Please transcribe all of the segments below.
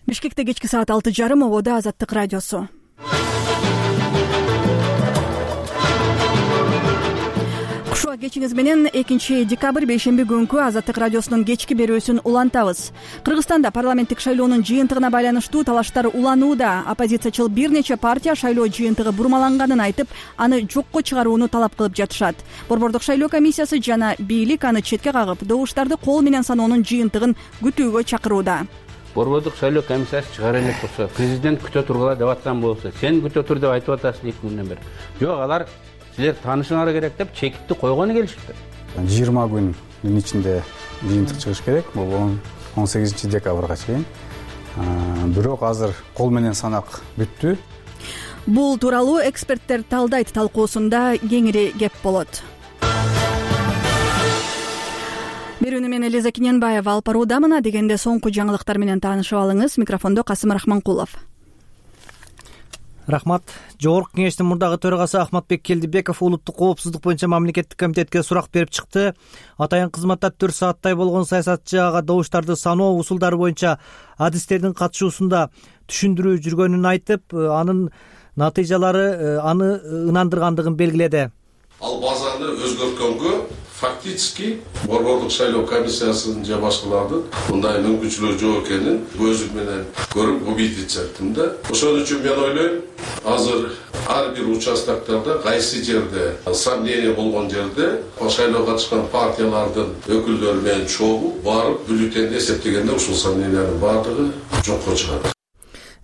Бишкекте кечки саат 6:30 ободо Азаттык радиосу. Кушуа кечиңиз менен 2-декабрь бейшемби күнкү Азаттык радиосунун кечки берүүсүн улантабыз. Кыргызстанда парламенттик шайлоонун жыйынтыгына байланыштуу талаштар уланууда. Оппозициячыл бир нече партия шайлоо жыйынтыгы бурмаланганын айтып, аны жокко чыгарууну талап кылып жатышат. Борбордук шайлоо комиссиясы жана бийлик аны четке кагып, добуштарды кол менен саноонун жыйынтыгын күтүүгө чакырууда. Борбордук шайлоо комиссиясы чыгара элек болсо, президент күтө тургула деп аткан болсо, сен күтө тур деп айтып атасың 2 күндөн бери. Жок, алар силер таанышыңар керек деп чекитти койгону келишти. 20 күндүн ичинде жыйынтык чыгыш керек. Бул 18-декабрга чейин. Бирок азыр кол менен санак бүттү. Бул тууралуу эксперттер талдайт талкуусунда кеңири кеп болот. Берүүнү мен Элиза Киненбаева алып баруудамын. Дегенде соңку жаңылыктар менен таанышып алыңыз. Микрофондо Касым Рахманкулов. Рахмат. Жогорку кеңештин мурдагы төрагасы Ахматбек Келдибеков улуттук коопсуздук боюнча мамлекеттик комитетке сурак берип чыкты. Атайын кызматта 4 сааттай болгон саясатчы ага добуштарды саноо усулдары боюнча адистердин катышуусунда түшүндүрүү жүргөнүн айтып, анын натыйжалары аны ынандыргандыгын белгиледи. Ал базаны өзгөрткөнгө фактически борбордук шайлоо комиссиясынын же башкалардын мындай мүмкүнчүлүгү жок экенин көзүм менен көрүп убедиться да. Ошон үчүн мен ойлойм, азыр ар бир участоктарда кайсы жерде сомнение болгон жерде шайлоого катышкан партиялардын өкүлдөрү менен чогуу барып бюллетенди эсептегенде ушул сомнениянын баардыгы жокко чыгат,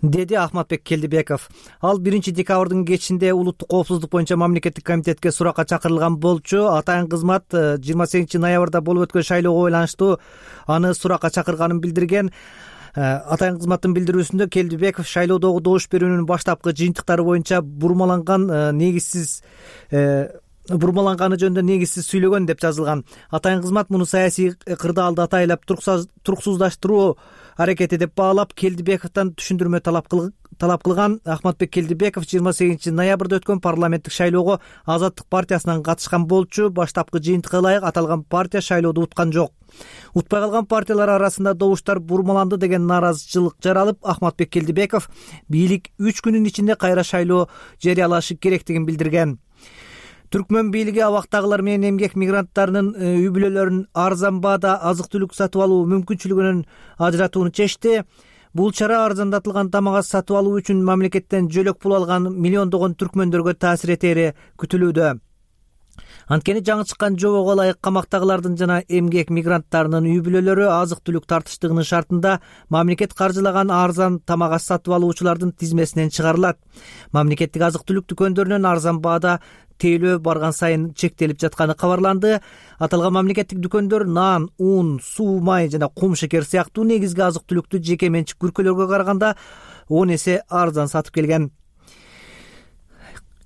деди Ахматбек Келдибеков. Ал 1-декабрдын кечинде улуттук коопсуздук боюнча мамлекеттик комитетке суракка чакырылган болчу. Атайын кызмат 28-ноябрда болуп өткөн шайлоого байланыштуу аны суракка чакырганын билдирген. Атайын кызматтын билдирүүсүндө Келдибеков шайлоодогу добуш берүүнүн баштапкы жыйынтыктары боюнча бурмаланганы жөнүндө негизсиз сүйлөгөн деп жазылган. Атайын кызмат муну саясий кырдаалды атайлап туруксуздаштыруу аракети деп баалап, Келдибековдон түшүндүрмө талап кылган. Ахматбек Келдибеков 28-ноябрда өткөн парламенттик шайлоого Азаттык партиясынан катышкан болчу. Баштапкы жыйынтыкка ылайык аталган партия шайлоодо уткан жок. Утпай калган партиялар арасында добуштар бурмаланды деген нааразычылык жаралып, Ахматбек Келдибеков бийлик 3 күнүн ичинде кайра шайлоо жарыялашы керектигин билдирген. Түркмөн бийлиги абактагылар менен эмгек мигранттарынын үй бүлөлөрүн арзан баада азык-түлүк сатып алуу мүмкүнчүлүгүнөн ажыратууну чечти. Бул чара арзандатылган тамак ас сатып алуу үчүн мамлекеттен жөлөк пул алган миллиондогон түркмөндөргө таасир этери күтүлүүдө. Анткени жаңы чыккан жобого ылайык камактагылардын жана эмгек мигранттарынын үй бүлөлөрү азык-түлүк тартыштыгынын шартында мамлекет каржылаган арзан тамак ас сатып алуучулардын тизмесинен чыгарылат. Мамлекеттик азык-түлүк дүкөндөрүнөн арзан баада тейлөө барган сайын чектелип жатканы кабарланды. Аталган мамлекеттик дүкөндөр нан, ун, суу, май жана кум шекер сыяктуу негизги азык-түлүктү жеке менчик күркөлөргө караганда 10 эсе арзан сатып келген.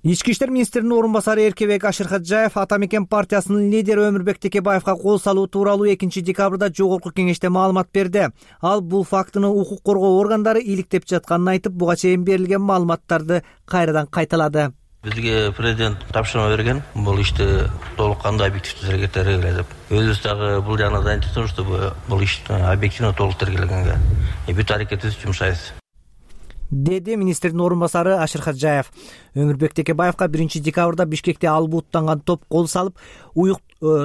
Ички иштер министринин орун басары Эркебек Ашырхаджаев Ата Мекен партиясынын лидери Өмүрбек Текебаевга кол салуу тууралуу 2-декабрда жогорку кеңеште маалымат берди. Ал бул фактыны укук коргоо органдары иликтеп жатканын айтып, буга чейин берилген маалыматтарды кайрадан кайталады. Бизге президент тапшырма берген, бул ишти толук кандай объективдүү тергөө деп. Өзүбүз дагы бул жагынан айтабыз, что бул ишти объективдүү толук тергөөлөнгөнгө бүт аракетибиз жумшайбыз, деди министрдин орун басары Ашырхаджаев. Өмүрбек Текебаевга 1-декабрда Бишкекте албуттанган топ кол салып, уюк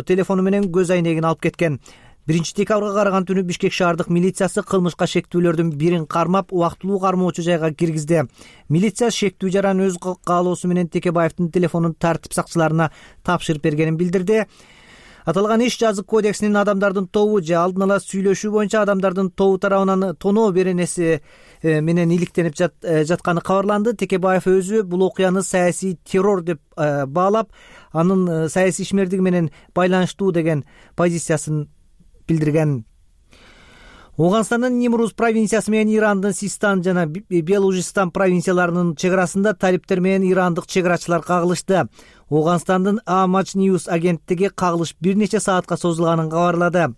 телефону менен көз айнегин алып кеткен. 1-декабрга караган түнү Бишкек шаардык милициясы кылмышка шектүүлөрдүн бирин кармап, убактылуу кармоочу жайга киргизди. Милиция шектүү жаран өз каалоосу менен Текебаевдин телефонун тартип сакчыларына тапшырып бергенин билдирди. Аталган иш жазык кодексинин адамдардын тобу же алдын ала сүйлөшүү боюнча адамдардын тобу тарабынан тоноо беренеси менен иликтенип жатканы кабарланды. Текебаев өзү бул окуяны саясий террор деп баалап, анын саясий ишмердиги менен байланыштуу деген позициясын билдирген. Ооганстандын Нимруз провинциясы менен Ирандын Систан жана Белужистан провинцияларынын чегарасында талиптер менен ирандык чегарачылар кагылышты. Ооганстандын Амач Ньюс агенттиги кагылыш бир нече саатка созулганын кабарлады.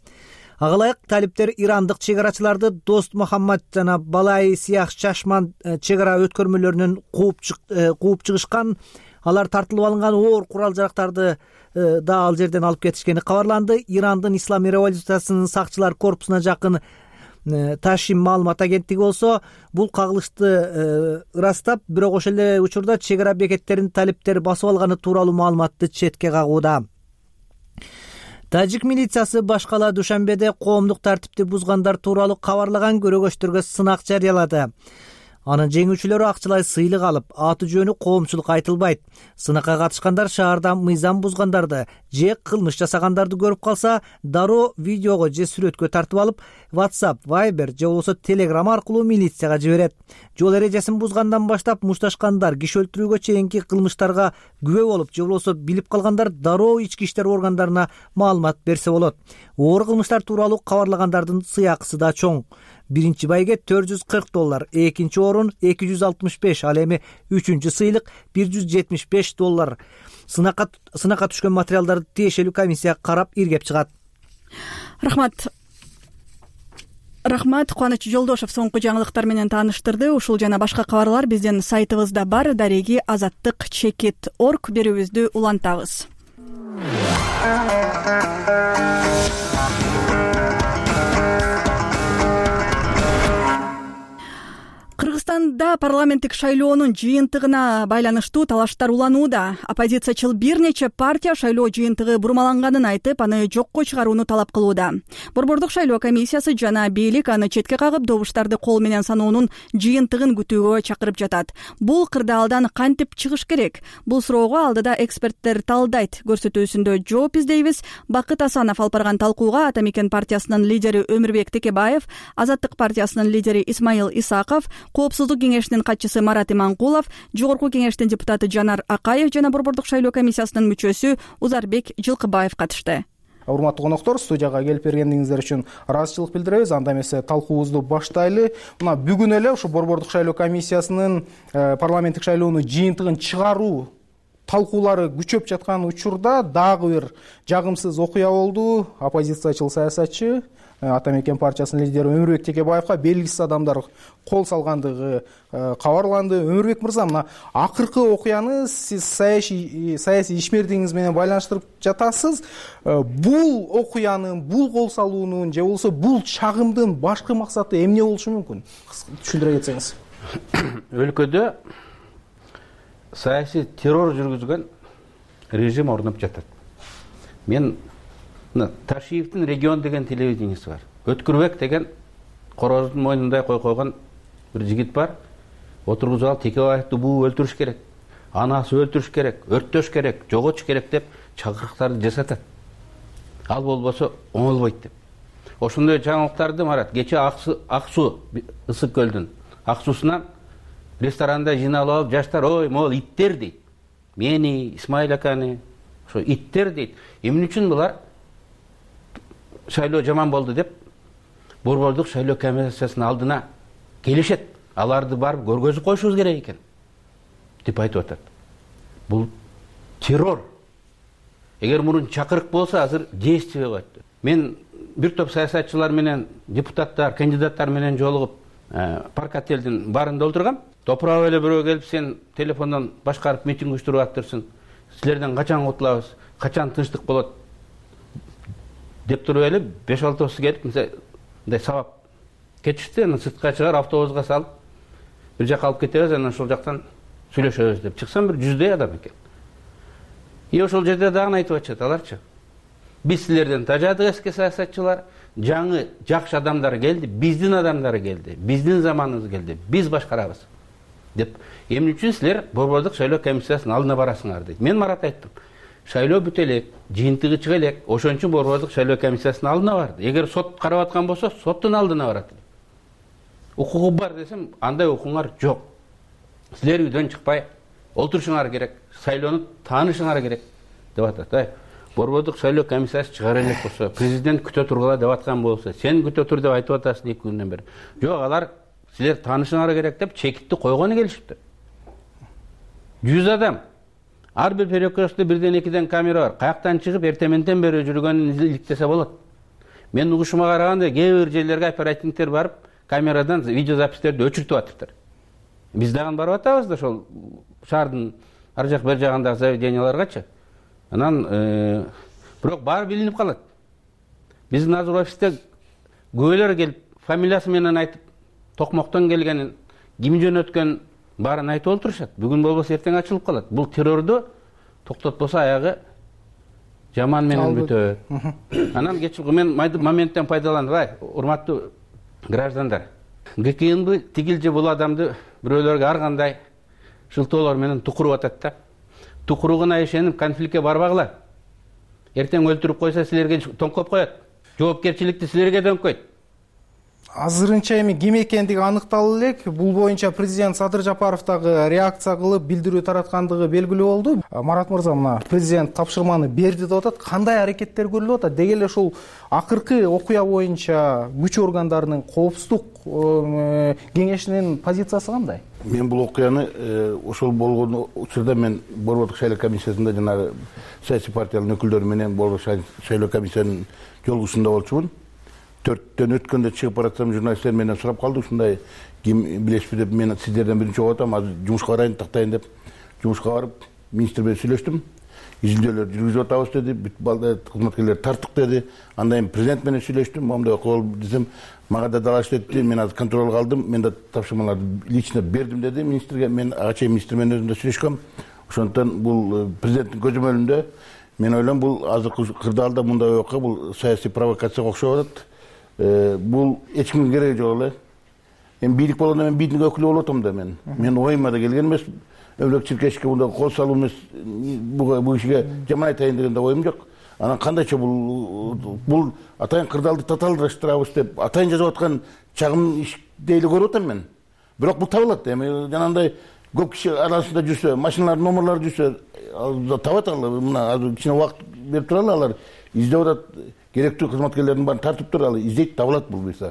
Ага ылайык талиптер ирандык чегарачыларды Дост Мухаммад жана Балай Сиях Чашман чегара өткөрмөлөрүнөн кууп чыгышкан. Алар тартылып алынган оор курал-жарактарды да ал жерден алып кетишкени кабарланды. Ирандын Исламий революциясынын сакчылар корпусуна жакын Ташим маалымат агенттиги болсо бул кагылышты ырастап, бирок ошол эле учурда чек ара бекеттеринин талептери басып алганы тууралуу маалыматты четке кагууда. Тажик милициясы башкала Душанбеде коомдук тартипти бузгандар тууралуу кабарлаган көрөгөчтөргө сынак жарыялады. Анын жеңүүчүлөрү акчалай сыйлык алып, аты жөнү коомчулукка айтылбайт. Сынакка катышкандар шаарда мыйзам бузгандарды же кылмыш жасагандарды көрүп калса, дароо видеого же сүрөткө тартып алып, WhatsApp, Viber же болбосо Telegram аркылуу милицияга жиберет. Жол эрежесин бузгандан баштап мушташкандар, киши өлтүрүүгө чейинки кылмыштарга күбө болуп же болбосо билип калгандар дароо ички иштер органдарына маалымат берсе болот. Оор кылмыштар тууралуу кабарлагандардын сыйакысы да чоң. Биринчи байге $440, экинчи орун $265, ал эми үчүнчү сыйлык $175. Сынакка түшкөн материалдарды тиешелүү комиссия карап иргеп чыгат. Рахмат. Кубаныч Жолдошев соңку жаңылыктар менен тааныштырды. Ушул жана башка кабарлар биздин сайтыбызда бар. Дареги азаттык chekit.org берүүбүздү улантабыз. Кыргызстанда парламенттик шайлоонун жыйынтыгына байланыштуу талаштар уланууда. Оппозициячыл бир нече партия шайлоо жыйынтыгы бурмаланганын айтып, аны жокко чыгарууну талап кылууда. Борбордук шайлоо комиссиясы жана бийлик аны четке кагып, добуштарды кол менен саноонун жыйынтыгын күтүүгө чакырып жатат. Бул кырдаалдан кантип чыгыш керек? Бул суроого алдыда эксперттер талдайт. Көрсөтүүсүндө жооп издейбиз. Бакыт Асанов алып барган талкууга Ата Мекен партиясынын лидери Өмүрбек Текебаев, Азаттык партиясынын лидери Исмаил Исаков, Коопсуздук кеңешинин катчысы Марат Иманкулов, Жогорку кеңештин депутаты Жанар Акаев жана Борбордук шайлоо комиссиясынын мүчөсү Узарбек Жылкыбаев катышты. Урматтуу коноктор, студияга келип бергениңиздер үчүн ыраазычылык билдиребиз. Анда эмесе талкуубузду баштайлы. Мына бүгүн эле ушу Борбордук шайлоо комиссиясынын парламенттик шайлоонун жыйынтыгын чыгаруу талкуулары күчөп жаткан учурда дагы бир жагымсыз окуя болду. Оппозициячыл саясатчы Ата Мекен партиясынын лидери Өмүрбек Текебаевга белгисиз адамдар кол салгандыгы кабарланды. Өмүрбек мырза, мына акыркы окуяны сиз саясий ишмердигиңиз менен байланыштырып жатасыз. Бул окуянын, бул кол салуунун же болбосо бул чагымдын башкы максаты эмне болушу мүмкүн? Түшүндүрө кетсеңиз. Өлкөдө саясий террор жүргүзгөн режим орноп жатат. Мен Ташиевдин регион деген телевидениеси бар. Өткүрбек деген короздун мойнундай койгон бир жигит бар. Отургузуп алып Текебаевди буу өлтүрүш керек, анасы өлтүрүш керек, өрттөш керек, жоготуш керек деп чакырыктарды жасатат. Ал болбосо оңолбойт деп. Ошондой жаңылыктарды Марат кече ак суу ысык көлдүн ак суусунан ресторанда жыйналып алып жаштар ой могул иттер дейт. Мени, Исмаил аканы, ошо иттер дейт. Эмне үчүн булар шайлоо жаман болду деп Борбордук шайлоо комиссиясынын алдына келишет. Аларды барып көргөзүп коюшубуз керек экен деп айтып атат. Бул террор. Эгер мурун чакырык болсо азыр действие болот. Мен бир топ саясатчылар менен, депутаттар, кандидаттар менен жолугуп парк отелдин барында отургам. Топурап эле бирөө келип сен телефондон башкарып митинг уюштуруп атырсың. Силерден качан кутулабыз? Качан тынчтык болот? Деп туруп эле 5-6 келип мындай сабап кетишти. Аны сыртка чыгар автобуска салып бир жакка алып кетебиз, анан ошол жактан сүйлөшөбүз деп чыксам бир 100 адам экен. Ошол жерде дагы айтып атышат аларчы. Биз силерден тажадык эски саясатчылар, жаңы жакшы адамдар келди, биздин адамдар келди, биздин заманыбыз келди, биз башкарабыз деп. Эмне үчүн силер Борбордук шайлоо комиссиясынын алдына барасыңар дейт. Мен Марат айттым. Шайлоо бүтө элек, жыйынтыгы чыга элек, ошон үчүн Борбордук шайлоо комиссиясынын алдына барды. Эгер сот карап аткан болсо, соттун алдына барат. Укугу бар десем, андай укуңар жок. Силер үйдөн чыкпай олтурушуңар керек, шайлоону таанышыңар керек деп атат. Борбордук шайлоо комиссиясы чыгара элек болсо, президент күтө тургула деп аткан болсо, сен күтө тур деп айтып атасың 2 күндөн бери. Жок, алар силер таанышыңар керек деп чекитти койгону келишиптир. 100 адам. Ар бир перекрестте 1-2 камера бар. Каяктан чыгып эртеменден бери жүргөнүн иликтесе болот. Мен угушума караганда кээ бир жерлерге оперативниктер барып, камерадан видеозапистерди өчүртүп атыптыр. Биз дагы барып атабыз да ошол шаардын ар жак бер жагындагы заведенияларгачы. Анан бирок баары билинип калат. Биздин азыр офисте көбөлөр келип фамилиясы менен айтып, токмоктон келгенин, ким жөнөткөнүн баарын айтып олтурушат. Бүгүн болбосо эртең ачылып калат. Бул террорду токтотпосо аягы жаман менен бүтөт. Анан кечиргү мен моменттен пайдаланып, урматтуу граждандар, ГКНБ тигил же бул адамды бирөөлөргө ар кандай шылтоолор менен тукуруп атат да. Тукуругуна ишенип конфликтке барбагыла. Эртең өлтүрүп койсо силерге тоңкоп коет. Жоопкерчиликти силерге дөңкөйт. Азырынча эми ким экендиги аныкталып элек. Бул боюнча президент Садыр Жапаров дагы реакция кылып, билдирүү тараткандыгы белгилүү болду. Марат мырза, мына президент тапшырманы берди деп атат. Кандай аракеттер көрүлүп атат? Деги эле ушул акыркы окуя боюнча күч органдарынын коопсуздук кеңешинин позициясы кандай? Мен бул окуяны ошол болгон учурда мен Борбордук шайлоо комиссиясында жанагы саясий партиялардын өкүлдөрү менен Борбордук шайлоо комиссиянын жолугушунда болчумун. 4-төн өткөндө чыгып баратсам журналисттер менен сурап калды, ушундай ким билесизби деп, мен сиздерден биринчи болуп атам, азыр жумушка барайын, тактайын деп жумушка барып, министр менен сүйлөштүм. Изилдөөлөр жүргүзүп атабыз деди, бүт кызматкерлер тарттык деди. Андан кийин президент менен сүйлөштүм, моундай окуя болду десем, мага да далаш деди, мен азыр контролго алдым, мен да тапшырмаларды лично бердим деди министрге. Мен ага чейин министр менен өзүм да сүйлөшкөм. Ошондуктан бул президенттин көзөмөлүндө мен ойлойм, бул азыркы кырдаалда мындай окуя бул саясий провокацияга окшоп атат. Бул эч кимге кереги жок эле. Эми бийлик болгондо мен бийликтин өкүлү болуп атам да мен. Мен оюма да келген эмес. Өлөк чиркешке мындай кол салуу эмес, бул кишиге жаман айтайын деген да оюм жок. Анан кандайча бул атайын кырдаалды татаалдаштырабыз деп атайын жазып аткан чагым иш дейли көрүп атам мен. Бирок бул табылат. Эми жанагындай көп киши арасында жүрсө, машиналардын номерлары жүрсө, табат алар. Мына азыр кичине убакыт берип туралы, алар издеп атат. Керектүү кызматкерлердин баарын тартып туруп алып издейт, табылат бул буюрса.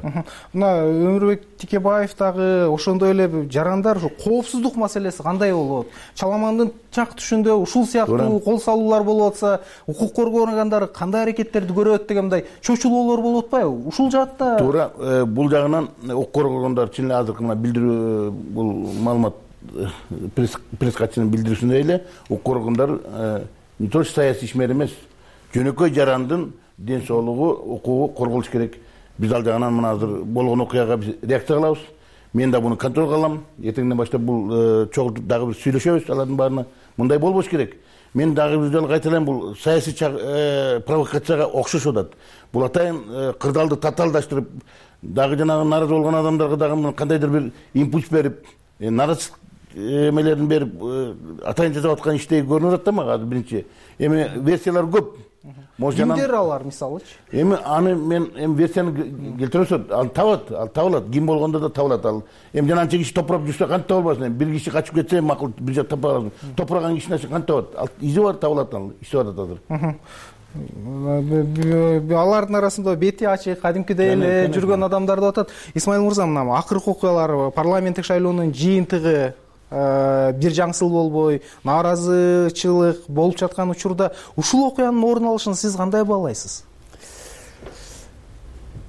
Мына Өмүрбек Тикебаев дагы ошондой эле жарандар, ушу коопсуздук маселеси кандай болот? Чаламандын чак түшүндө ушул сыяктуу кол салуулар болуп атса, укук коргоо органдары кандай аракеттерди көрөт деген мындай чочулоолор болуп атпайбы? Ушул жаатта туура бул жагынан укук коргоо органдары чын эле азыркы мына билдирүү, бул маалымат пресс катчынын билдирүүсүндөй эле укук коргоо органдары не только саясий ишмер эмес, жөнөкөй жарандын ден соолугу, укугу корголуш керек. Биз ал жагынан мына азыр болгон окуяга биз реакция кылабыз. Мен да буну контролго алам. Эртеңден баштап бул чогултуп дагы бир сүйлөшөбүз алардын баарына. Мындай болбош керек. Мен дагы бир жолу кайталайм, бул саясий провокацияга окшошуп атат. Бул атайын кырдаалды татаалдаштырып, дагы жанагы нааразы болгон адамдарга дагы кандайдыр бир импульс берип, нааразычылык эмелерин берип, атайын жасап аткан иштей көрүнүп атат да мага азыр биринчи. Эми версиялар көп. Кимдер алар мисалычы? Эми аны мен версияны келтиресем, ал табылат. Ким болгондо да табылат. Ал эми жананча киши топурап жүрсө кантип табылбасын? Бир киши качып кетсе макул бир жак тапа аласың. Топураган кишинин кантип табылат? Ал изи бар, табылат, ал иштеп атат азыр. Алардын арасында бети ачык, кадимкидей эле жүргөн адамдар деп атат. Исмаил мырза, мына акыркы окуялар, парламенттик шайлоонун жыйынтыгы бир жаңсыл болбой, нааразычылык болуп жаткан учурда ушул окуянын орун алышын сиз кандай баалайсыз?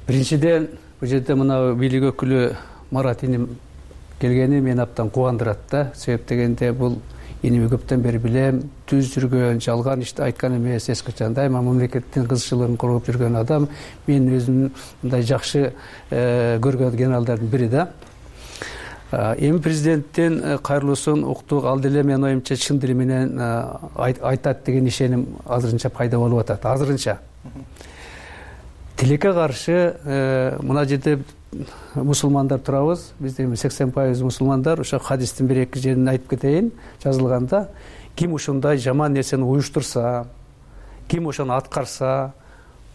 Биринчиден, бул жерде мына бийлик өкүлү Марат иним келгени мени абдан кубандырат да. Себеп дегенде бул иними көптөн бери билем, түз жүргөн, жалган ишти айткан эмес, эч качан дайыма мамлекеттин кызыкчылыгын коргоп жүргөн адам. Мен өзүм мындай жакшы көргөн генералдардын бири да. Эми президенттин кайрылуусун уктук, ал деле менин оюмча чын дили менен айтат деген ишеним азырынча пайда болуп атат. Азырынча тилекке каршы мына жерде мусулмандар турабыз. Бизде 80% мусулмандар. Ошо хадистин 1-2 жерин айтып кетейин. Жазылганда, ким ушундай жаман нерсени уюштурса, ким ошону аткарса,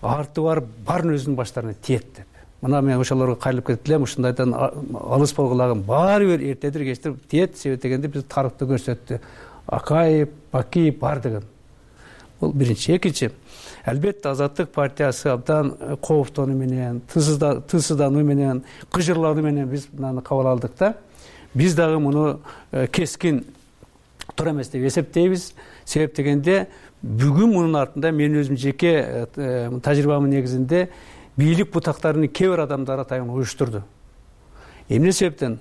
арты бар баарын өзүнүн баштарына тиет деп. Мына мен ошолорго кайрылып кетип элем, ушундайдан алыс болгулагын баары бир эртедир кечтир тиет. Себеп дегенде биз тарыхты көрсөттү. Акаев, Бакиев бар деген. Бул биринчи. Экинчи, албетте Азаттык партиясы абдан кооптонуу менен, тынчсыздануу менен, кыжырлануу менен биз мынаны кабыл алдык да. Биз дагы муну кескин туура эмес деп эсептейбиз. Себеп дегенде бүгүн мунун артында мен өзүм жеке тажрыйбамдын негизинде бийлик бутактарынын кээ бир адамдары атайын уюштурду. Эмне себептен?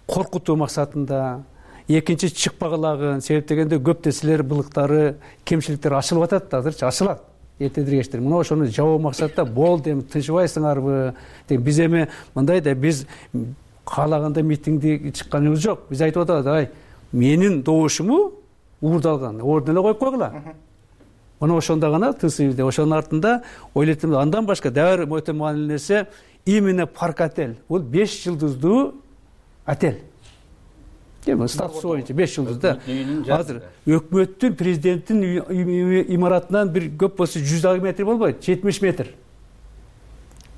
Коркутуу максатында, экинчи чыкпагылагын, себеп дегенде көп нерселер, былыктары, кемчиликтер ачылып атат, азырчы ачылат. эртедир кечтир мына ошону жабуу максатта болду эми тынчыбайсыңарбы биз эми мындай да биз каалаганда митингди чыкканыбыз жок. Биз айтып атабыз, ай менин добушуму уурдалган ордун эле коюп койгула. Мына ошондо гана тынчсыз. Ошонун артында ойлойт элем, андан башка дагы өтө маанилүү нерсе именно парк отель. Бул 5 жылдыздуу отель. Эми статусу боюнча 5 жылдызда. Азыр өкмөттүн, президенттин имаратынан бир көп болсо 100 метр болбойт, 70 метр.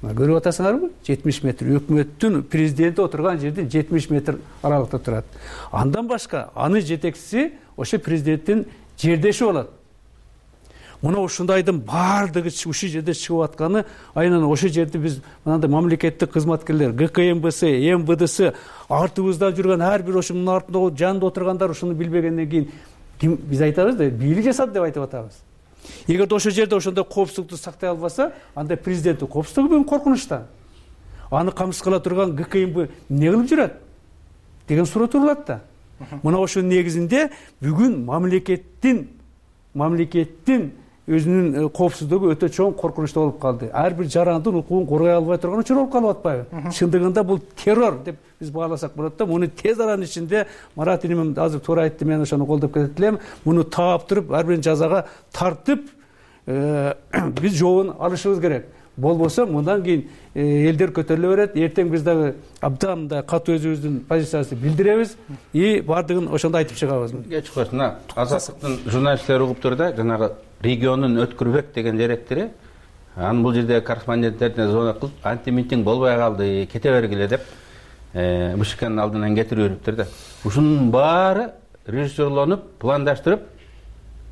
Көрүп атасыңарбы? 70 метр. Өкмөттүн президенти отурган жерден 70 метр аралыкта турат. Андан башка анын жетекчиси ошо президенттин жердеши болот. Мына ушундайдын баардыгы ушул жерде чыгып атканы, айынан ошол жерде биз мынандай мамлекеттик кызматкерлер, ГКМБС, МВДС артыбызда жүргөн ар бир ошонун артында жанында отургандар ушуну билбегенден кийин биз айтабыз да, бийлик жасады деп айтып атабыз. Эгерде ошол жерде ошондой коопсуздукту сактай албаса, анда президенттин коопсуздугу бүгүн коркунучта. Аны камсыз кыла турган ГКМБ эмне кылып жүрөт деген суроо турулат да. Мына ошонун негизинде бүгүн мамлекеттин өзүнүн коопсуздугу өтө чоң коркунучта болуп калды. Ар бир жарандын укугун коргой албай турган учур болуп калып атпайбы? Чындыгында бул террор деп биз бааласак болот да. Муну тез аранын ичинде Марат иним азыр туура айтты, мен ошону колдоп кетет элем. Муну таап туруп, ар бирин жазага тартып, биз жообун алышыбыз керек. Болбосо мындан кийин элдер көтөрүлө берет. Эртең биз дагы абдан мындай катуу өзүбүздүн позициябызды билдиребиз и баардыгын ошондо айтып чыгабыз. Кеч койсун. Азаттыктын журналисттери угуп тур да, жанагы регионун өткүрбек деген деректери. Анын бул жерде корреспонденттерине звонок кылып, антимитинг болбой калды, кете бергиле деп БШКнын алдынан кетирип бериптир да. Ушунун баары режиссерлонуп, пландаштырып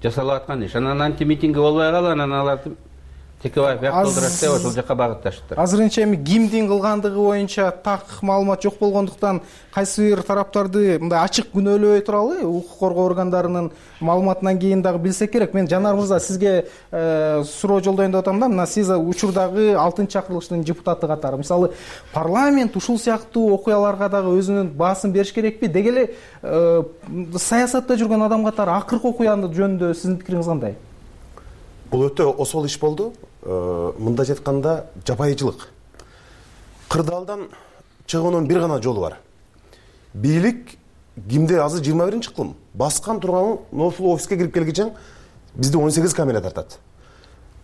жасалып аткан иш. Анан антимитинги болбой калып, анан аларды Текебаев яктылдырат деп ошол жака багытташты. Азырынча эми кимдин кылгандыгы боюнча так маалымат жок болгондуктан кайсы бир тараптарды мындай ачык күнөөлөбөй туралы, укук коргоо органдарынын маалыматынан кийин дагы билсек керек. Мен Жанар мырза сизге суроо жолдоюн деп атам да, мына сиз учурдагы 6-чакырылыштын депутаты катары. Мисалы, парламент ушул сыяктуу окуяларга дагы өзүнүн баасын бериш керекпи? Деги эле саясатта жүргөн адам катары акыркы окуяны жөнүндө сиздин пикириңиз кандай? Бул өтө осол иш болду. Мындай жатканда жапайычылык. Кырдаалдан чыгуунун бир гана жолу бар. Бийлик кимде азыр 21-кылым баскан турган ошол офиске кирип келгиче бизди 18 камера тартат.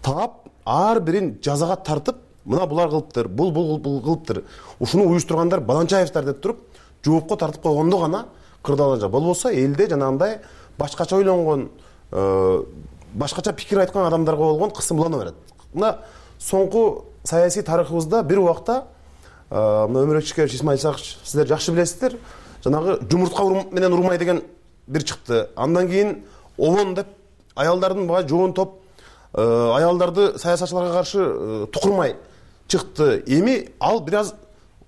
Таап ар бирин жазага тартып, мына булар кылыптыр, бул кылыптыр. Ушуну уюштургандар Баланчаевдер деп туруп, жоопко тартып койгондо гана кырдаалда болбосо элде жанагындай башкача ойлонгон, башкача пикир айткан адамдарга болгон кысымлануу берет. Мына соңку саясий тарыхыбызда бир убакта мына Өмүрөк Ишкерович, Исмаил Сакыч, сиздер жакшы билесиздер, жанагы жумуртка менен урмай деген бир чыкты. Андан кийин Овон деп аялдардын бага жоон топ аялдарды саясатчыларга каршы тукурмай чыкты. Эми ал бир аз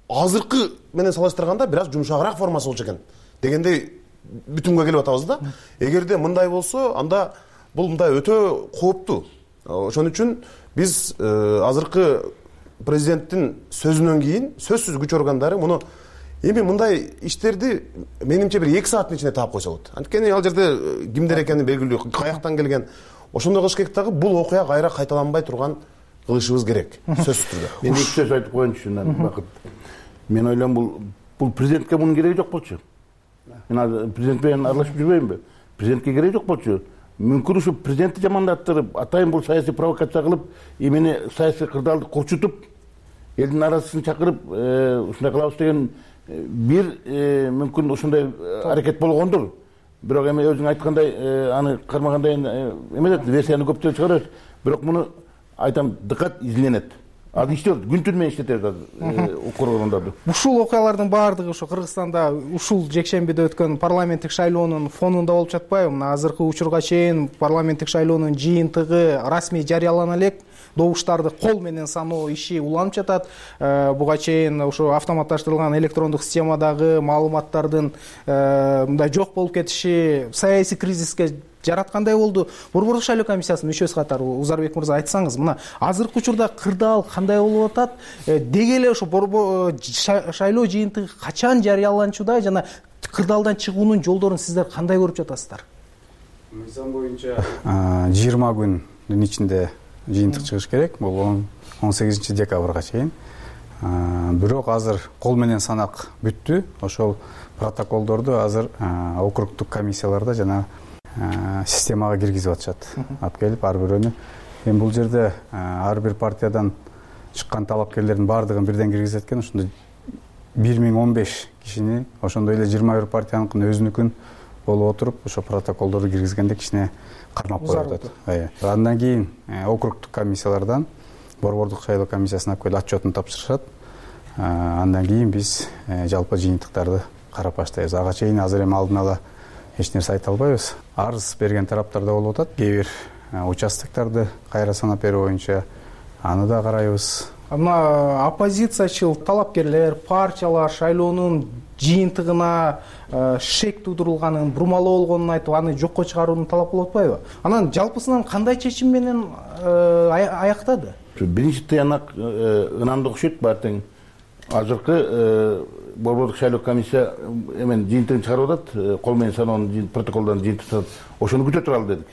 азыркы менен салыштырганда бир аз жумшагыраак формасы болчу экен дегендей бүтүнгө келип атабыз да. Эгерде мындай болсо, анда бул мындай өтө кооптуу. Ошон үчүн биз азыркы президенттин сөзүнөн кийин сөзсүз күч органдары муну эми мындай иштерди менимче бир 2 сааттын ичинде таап койсо болот. Анткени ал жерде кимдер экени белгилүү, каяктан келген. Ошондой кылыш керек дагы, бул окуя кайра кайталанбай турган кылышыбыз керек, сөзсүз түрдө. Мен эки сөз айтып коеюнчу, Бакыт. Мен ойлойм, бул президентке мунун кереги жок болчу. Мен азыр президент менен аралашып жүрбөймүнбү? Президентке кереги жок болчу. Мүмкүн ушу президентти жамандаттырып, атайын бул саясий провокация кылып, эмени саясий кырдаалды курчутуп, элдин арасын чакырып, ушундай кылабыз деген бир мүмкүн ушундай аракет болгондур. Бирок эми өзүң айткандай, аны кармагандай эмес, версияны көптөн чыгарат. Бирок муну айтам, дыкат изленет. Азыр иштеп, күн-түн менен иштетет укугундарды. Ушул окуялардын баардыгы ушу Кыргызстанда ушул жекшембиде өткөн парламенттик шайлоонун фонунда болуп жатпайбы? Мына азыркы учурга чейин парламенттик шайлоонун жыйынтыгы расмий жарыялана элек, добуштарды кол менен саноо иши уланып жатат. Буга чейин ушу автоматташтырылган электрондук системадагы маалыматтардын мындай жок болуп кетиши саясий кризиске жараткандай болду. Борбордук шайлоо комиссиясынын мүчөсү катары Узарбек мырза айтсаңыз, мына азыркы учурда кырдаал кандай болуп атат? Деги эле ушу шайлоо жыйынтыгы качан жарыяланчуда жана кырдаалдан чыгуунун жолдорун сиздер кандай көрүп жатасыздар? Мыйзам боюнча 20 күндүн ичинде жыйынтык чыгыш керек, бул 18 декабрга чейин. Бирок азыр кол менен санак бүттү. Ошол протоколдорду азыр округдук комиссияларда жана системага киргизип атышат. Алып келип ар бирөөнү. Эми бул жерде ар бир партиядан чыккан талапкерлердин баардыгын бирден киргизет экен. Ошондо 1015 кишини, ошондой эле 21 партияныкын өзүнүкүн болуп отуруп, ошо протоколдорду киргизгенде кичине кармап коюп атат. Андан кийин округдук комиссиялардан борбордук шайлоо комиссиясына алып келип отчетун тапшырышат. Андан кийин биз жалпы жыйынтыктарды карап баштайбыз. Ага чейин азыр эми алдын ала эч нерсе айта албайбыз. Арыз берген тараптар да болуп атат. Кээ бир участокторду кайра санап берүү боюнча аны да карайбыз. Мына оппозициячыл талапкерлер, партиялар шайлоонун жыйынтыгына шек туудурулганын, бурмалоо болгонун айтып, аны жокко чыгарууну талап кылып атпайбы? Анан жалпысынан кандай чечим менен аяктады? Биринчи тыянак ынанды окшойт баатең. Азыркы борбордук шайлоо комиссия эмен жыйынтыгын чыгарып атат, кол менен саноонун протоколдон жыйынтык. Ошону күтө туралы дедик.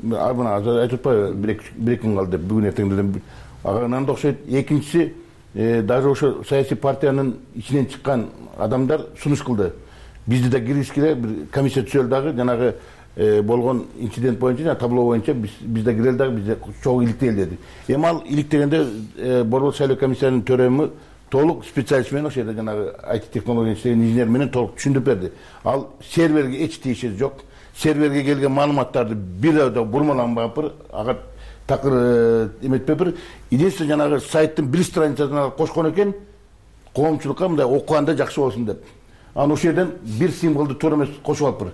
Мына азыр айтып атпайбы, бир күн калды, бүгүн эртеңден ага ынанды окшойт. Экинчиси, даже ошо саясий партиянын ичинен чыккан адамдар сунуш кылды. Бизди да киргизгиле, бир комиссия түзөлдү дагы, жанагы болгон инцидент боюнча, жана табло боюнча биз да кирели дагы, бизде чогуу иликтели деди. Эми ал иликтегенде борбордук шайлоо комиссиянын төрөмү толук специалист менен ошол жерде жанагы IT технология иштеген инженер менен толук түшүндүрүп берди. Ал серверге эч тиешеси жок. Серверге келген маалыматтарды бир да бурмаланбапыр, ага такыр эметпепир. Единственное, жанагы сайттын бир страницасына кошкон экен, коомчулукка мындай окуганда жакшы болсун деп. Анан ошол жерден бир символду туура эмес кошуп алыппыр.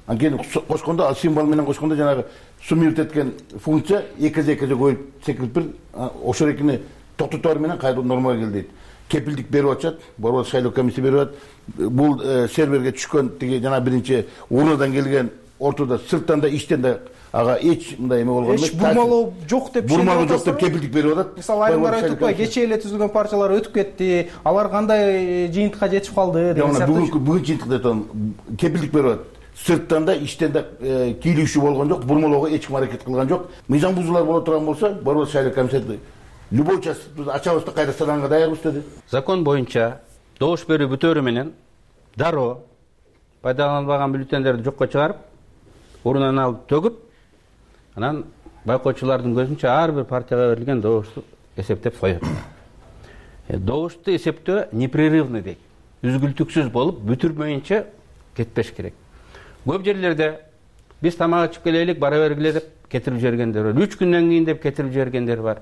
Анткени кошкондо, ал символ менен кошкондо жанагы суммировать эткен функция эки коюп секириптир. Ошол экини токтотор менен кайра нормага кел дейт. Кепилдик берип атышат, борбордук шайлоо комиссия берип атат. Бул серверге түшкөн тиги жана биринчи урнадан келген ортодо сырттан да иштен да ага эч мындай эме болгон эмес. Эч бурмалоо жок деп бурмалоо жок деп кепилдик берип атат. Мисалы айрымдар айтып атпайбы, кечээ эле түзүлгөн партиялар өтүп кетти, алар кандай жыйынтыкка жетип калды деген сыяктуу. Бүгүн жыйынтыкта айтам, кепилдик берип атат. Сырттан да иштен да кийлүүчү болгон жок, бурмалоого эч ким аракет кылган жок. Мыйзам бузуулар боло турган болсо, борбордук шайлоо комиссиясы любой час ачабыз да кайра санаганга даярбыз деди. Закон боюнча добуш берүү бүтөөрү менен дароо пайдаланылбаган бюллетендерди жокко чыгарып, урунан алып төгүп, анан байкоочулардын көзүнчө ар бир партияга берилген добушту эсептеп коет. Добушту эсептөө непрерывный дейт. Үзгүлтүксүз болуп, бүтүрмөйүнчө кетпеш керек. Көп жерлерде биз тамак ичип келелик, бара бергиле деп кетирип жибергендер бар. 3 күндөн кийин деп кетирип жибергендер бар.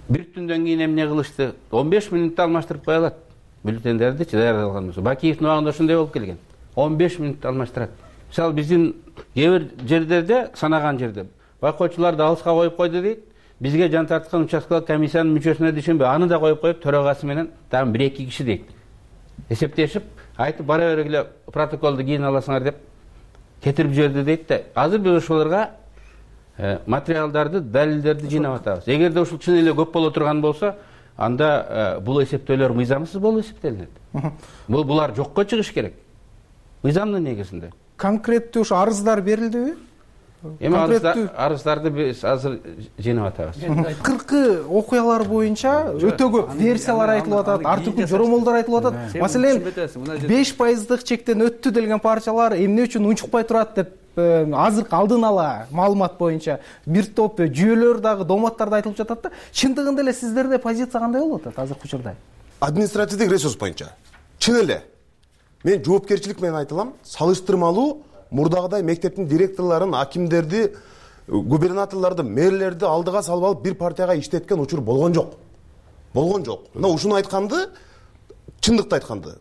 Бир түндөн кийин эмне кылышты? 15 мүнөттө алмаштырып кое алат бюллетендерди даярдалган болсо. Бакиевдин убагында ошондой болуп келген. 15 мүнөттө алмаштырат. Мисалы биздин кээ бир жерлерде, санаган жерде байкоочуларды алыска коюп койду дейт. Бизге жан тарткан участкалык комиссиянын мүчөсүнө дишенбей, аны да коюп төрагасы менен дагы 1-2 киши дейт. Эсептешип, айтып бара бергиле протоколду кийин аласыңар деп кетирип жиберди дейт да. Азыр биз ошолорго материалдарды, далилдерди жыйнап атабыз. Эгерде ушул чын эле көп боло турган болсо, анда бул эсептөөлөр мыйзамсыз болуп эсептелинет. Булар жокко чыгыш керек. Мыйзамдын негизинде. Конкреттүү ушу арыздар берилдиби? Эми арыздарды биз азыр жыйнап атабыз. 40 окуялар боюнча өтө көп версиялар айтылып атат, ар түркүн жоромолдор айтылып атат. Маселен, 5% чектен өттү делген партиялар эмне үчүн унчукпай турат деп азыркы алдын ала маалымат боюнча бир топ жүйөлөр дагы доматтарда айтылып жатат да. Чындыгында эле сиздерде позиция кандай болуп атат азыркы учурда? Административдик ресурс боюнча чын эле мен жоопкерчилик менен айтылам, салыштырмалуу мурдагыдай мектептин директорлорун, акимдерди, губернаторлорду, мэрлерди алдыга салып алып бир партияга иштеткен учур болгон жок. Болгон жок. Мына ушуну айтканды, чындыкты айтканды.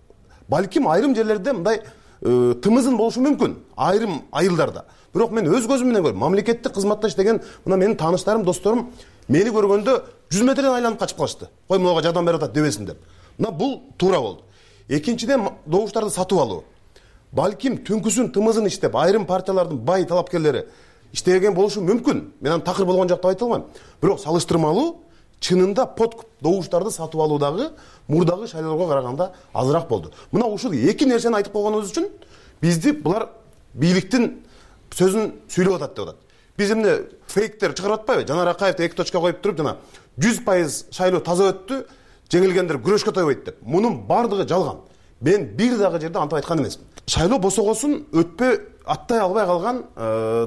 Балким айрым жерлерде мындай тымызын болушу мүмкүн, айрым айылдарда. Бирок мен өз көзүм менен көрдүм. Мамлекеттик кызматта иштеген мына менин тааныштарым, досторум мени көргөндө 100 метрден айланып качып калышты. Кой мынага жардам берип атат дебесин деп. Мына бул туура болду. Экинчиден добуштарды сатып алуу. Балким түнкүсүн тымызын иштеп, айрым партиялардын бай талапкерлери иштеген болушу мүмкүн. Мен аны такыр болгон жок деп айта албайм. Бирок салыштырмалуу чынында подкуп добуштарды сатып алуудагы мурдагы шайлоого караганда азыраак болду. Мына ушул эки нерсени айтып койгонубуз үчүн бизди булар бийликтин сөзүн сүйлөп атат деп атат. биз эмне фейктер чыгарып атпайбы? Жанар Акаевди 2 точка коюп туруп жана 100% шайлоо таза өттү, жеңилгендер күрөшкө тойбойт деп. Мунун бардыгы жалган. Мен бир дагы жерде антип айткан эмесмин. Шайлоо босогосун өтпө аттай албай калган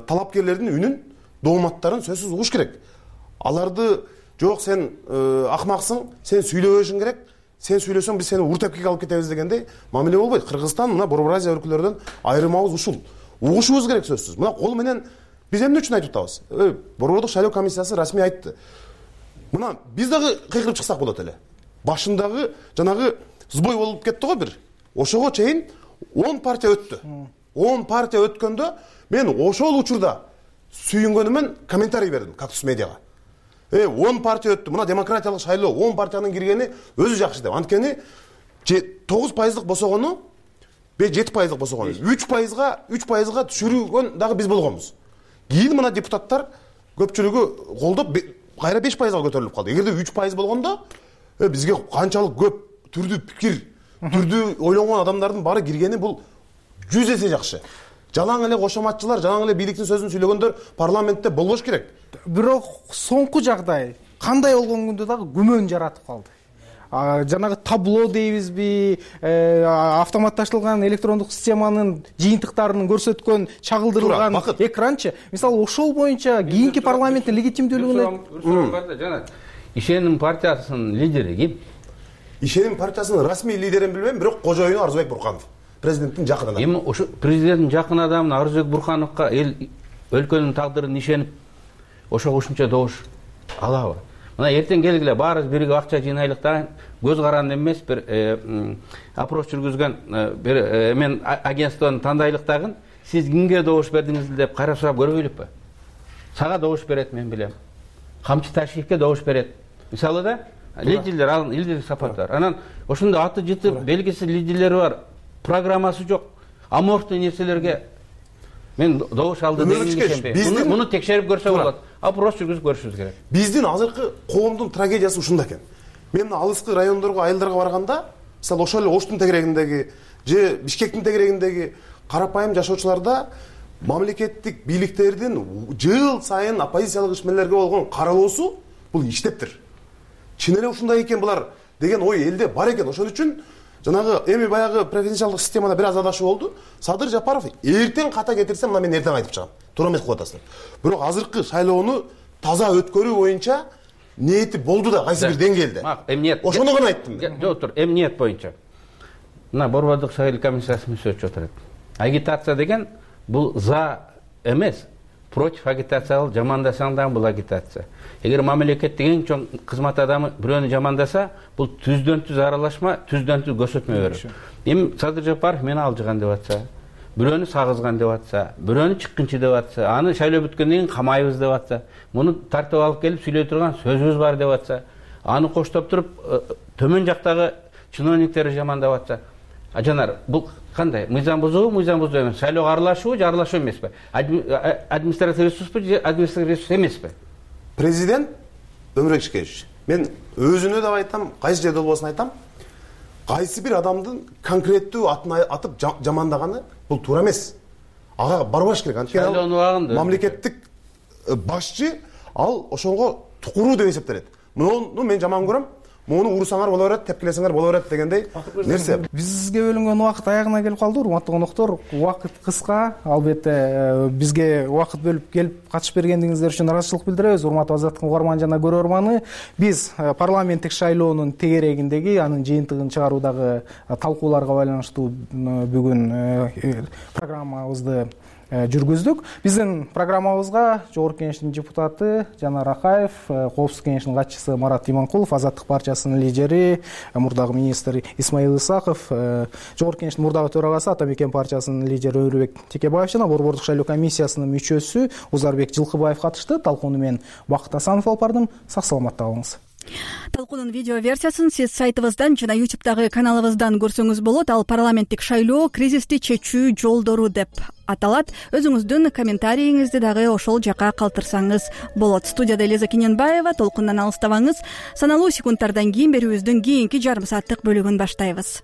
талапкерлердин үнүн, дооматтарын сөзсүз угуш керек. Аларды жок сен акмаксың, сен сүйлөбөшүң керек. Сен сүйлөсөң биз сени уртепкеге алып кетебиз дегендей мамиле болбойт. Кыргызстан мына Борбор Азия өлкөлөрүнөн айрымабыз ушул. Угушубуз керек сөзсүз. Мына кол менен биз эмне үчүн айтып атабыз? Борбордук шайлоо комиссиясы расмий айтты. Мына биз дагы кыйкырып чыксак болот эле. Башындагы жанагы сбой болуп кетти го бир. Ошого чейин 10 партия өттү. 10 партия өткөндө мен ошол учурда сүйүнгөнүмөн комментарий бердим Кактус медиага. 10 партия өттү. Мына демократиялык шайлоо 10 партиянын киргени өзү жакшы деп. Анткени 9% босогону, 7% босогону, 3%га түшүргөн дагы биз болгонбуз. Кийин мына депутаттар көпчүлүгү колдоп кайра 5%га көтөрүлүп калды. Эгерде 3% болгондо бизге канчалык көп түрдүү пикир, түрдүү ойлонгон адамдардын баары киргени бул 100 эсе жакшы. Жалаң эле кошоматчылар, жалаң эле бийликтин сөзүн сүйлөгөндөр парламентте болбош керек. Бирок соңку жагдай кандай болгон күндө дагы күмөн жаратып калды. Жанагы табло дейбизби, автоматташтырылган электрондук системанын жыйынтыктарын көрсөткөн чагылдырылган экранчы. Мисалы ошол боюнча кийинки парламенттин легитимдүүлүгүнө жана Ишеним партиясынын лидери ким? Ишеним партиясынын расмий лидерин билбейм, бирок кожоюну Арзыбек Бурканов. Президенттин жакын адамы. Эми ошо президенттин жакын адамы Арзыбек Буркановго эл өлкөнүн тагдырын ишенип ошого ушунча добуш алабы? Мына эртең келгиле баарыбыз бирге акча жыйнайлык да, көз каранды эмес бир опрос жүргүзгөн бир мен агентствону тандайлык дагы, сиз кимге добуш бердиңиз деп кайра сурап көрбөйлүкпү? Сага добуш берет, мен билем. Камчы Ташиевке добуш берет. Мисалы да, лидерлер, ал Илдир Сапаров. Анан ошондо аты жытып, белгисиз лидерлери бар, программасы жок, аморфтуу нерселерге мен добуш алды деген муну текшерип көрсө болот. Опрос жүргүзүп көрүшүбүз керек. Биздин азыркы коомдун трагедиясы ушунда экен. Мен мына алыскы райондорго, айылдарга барганда, мисалы ошол эле Оштун тегерегиндеги же Бишкектин тегерегиндеги карапайым жашоочуларда мамлекеттик бийликтердин жыл сайын оппозициялык ишмерлерге болгон каралоосу бул иштептир. Чын эле ушундай экен булар деген ой элде бар экен. Ошон үчүн жанагы эми баягы преференциалдык системада бир аз адашуу болду. Садыр Жапаров эртең ката кетирсе, мына мен эртең айтып чыгам. Туура эмес кылып атасыздар. Бирок азыркы шайлоону таза өткөрүү боюнча ниети болду да кайсы бир деңгээлде. Эмниет. Ошону гана айттым. Жок, тур, эмниет боюнча. Мына Борбордук шайлоо комиссиясы сөзчү отурат. Агитация деген бул за эмес, против агитациялык жамандасаң да бул агитация. Эгер мамлекеттик эң чоң кызмат адамы бирөөнү жамандаса, бул түздөн түз аралашма, түздөн түз көрсөтмө берүү. Эми Садыр Жапаров мени алжыган деп атса, бирөөнү сагызган деп атса, бирөөнү чыккынчы деп атса, аны шайлоо бүткөндөн кийин камайбыз деп атса, муну тартып алып келип сүйлөй турган сөзүбүз бар деп атса, аны коштоп туруп төмөн жактагы чиновниктерди жамандап атса, Жанар, бул кандай? Мыйзам бузуу эмес. Шайлоого аралашуу же аралашуу эмеспи? Административдик ресурспу же административдик ресурс эмеспи? Президент Өмүрбек Ишкеевич, мен өзүнө да айтам, кайсы жерде болбосун айтам, кайсы бир адамдын конкреттүү атын атып жамандаганы бул туура эмес. Ага барбаш керек. Анткени мамлекеттик башчы ал ошого тукуруу деп эсептелет. Муну мен жаман көрөм. Муну урусаңар боло берет, тепкилесеңер боло берет дегендей нерсе. Бизге бөлүнгөн убакыт аягына келип калды, урматтуу коноктор. Убакыт кыска, албетте бизге убакыт бөлүп келип катышып бергендиңиздер үчүн ыраазычылык билдиребиз, урматтуу Азаттык угарман жана көрөрманы. Биз парламенттик шайлоонун тегерегиндеги анын жыйынтыгын чыгаруудагы талкууларга байланыштуу бүгүн программабызды жүргүздүк. Биздин программабызга Жогорку Кеңештин депутаты Жанар Акаев, Коопсуздук Кеңешинин катчысы Марат Иманкулов, Азаттык партиясынын лидери, мурдагы министр Исмаил Исаков, Жогорку Кеңештин мурдагы төрагасы Атамекен партиясынын лидери Өмүрбек Текебаев жана Борбордук шайлоо комиссиясынын мүчөсү Узарбек Жылкыбаев катышты. Талкууну мен Бакыт Асанов алып бардым. Сак саламатта калыңыз. Талкуунун видео версиясын сиз сайтыбыздан жана YouTube'дагы каналыбыздан көрсөңүз болот. Ал парламенттик шайлоо кризисти чечүү жолдору деп аталат. Өзүңүздүн комментарийиңизди дагы ошол жака калтырсаңыз болот. Студияда Элиза Кененбаева. Толкундан алыстабаңыз. Саналуу секундтардан кийин берүүбүздүн кийинки жарым сааттык бөлүгүн баштайбыз.